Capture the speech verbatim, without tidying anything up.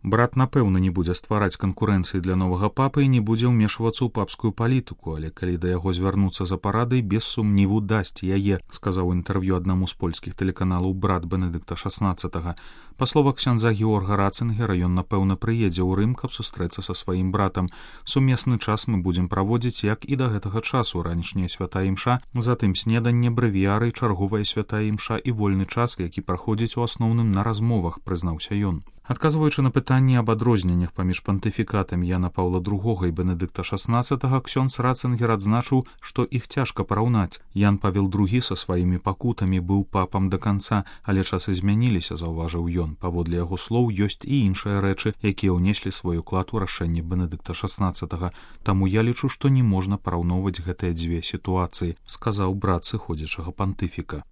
Брат, напэўна, не будзе ствараць канкурэнцыі для новага папы і не будзе ўмешвацца ў папскую палітыку, але калі да яго звярнуцца за парадай, без сумніву дасць яе, сказаў інтэрв'ю аднаму з польскіх тэлеканалаў брат Бенедыкта шаснаццатага. Па словах ксяндза Георга Рацынгера, ён, напэўна, прыедзе ў Рым, каб сустрэцца са сваім братам. Сумесны час мы будзем праводзіць, як і да гэтага часу, ранішняя святая імша, затым снеданне, брэвіяры, чарговая святая імша і вольны час, які праходзіць у асноўным на размовах, прызнаўся ён. Адказваючы на пытанні аб адрозненнях паміж пантыфікатамі Яна Паўла другога і Бенедыкта шаснаццатага, ксёндз Рацынгер адзначыў, што іх цяжка параўнаць. Ян Павел другі са сваімі пакутамі быў папам да канца, але часы змяніліся, заўважыў ён. Паводле яго слоў, ёсць і іншыя рэчы, якія ўнеслі свой уклад у рашэнне Бенедыкта шаснаццатага. Таму я лічу, што не можна параўноўваць гэтыя дзве сітуацыі, сказаў брат сыходзячага пантыфіка.